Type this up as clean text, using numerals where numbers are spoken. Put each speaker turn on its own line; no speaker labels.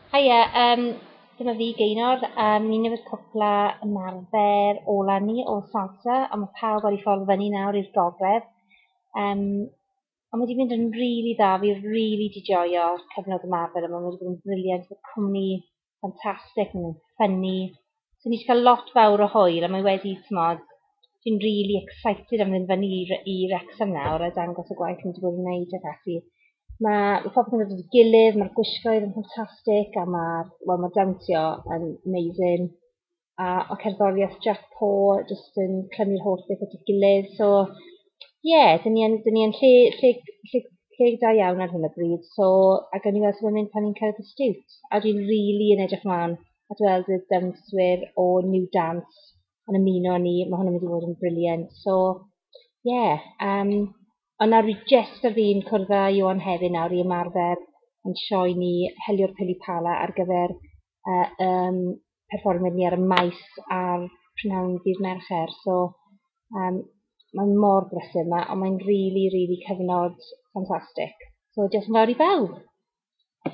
Haia, dyma fi, Gaynor. Ni newydd cwpla ymarfer ola ni o salsa, a mae pawb ar ei ffordd fyny nawr i'r gogledd. Ond mae wedi mynd yn rili dda, fi rili 'di joio'r cyfnod ymarfer yma, mae wedi bod yn brilliant, mae cwmni ffantastig, maen nhw'n ffyni. So ni 'di cael lot fawr o hwyl, a mae wedi, timod, fi'n rili excited am fynd fyny i Wrexham nawr a dangos y gwaith ni wedi bod yn wneud ac ati. Ma' popeth yn dod at ei gilydd, ma'r gwisgoedd yn ffantastig, a ma'r, wel, ma' dawnsio yn amazing, a ma' cerddoriaeth Jack Poor jyst yn clymu'r holl beth at ei gilydd. So ie, dan ni yn lle da iawn ar hyn o bryd, so a gawn ni weld sut mae'n mynd pan ni'n cyrraedd y Stiwt. A dwi'n rili yn edrych mlaen at weld y dawnswyr o New Dance yn ymuno â ni, mae hwnna'n mynd i fod yn brilliant. So ie, ond nawr fi jyst ar fin cwrdd â Iwan hefyd nawr i ymarfer yn sioe ni Heliwr Pili Pala ar gyfer perfformiad ni ar y maes ar prynhawn dydd Mercher. So mae'n mor brysur yma, ond mae'n rili, rili cyfnod ffantastig. So diolch yn fawr i bawb.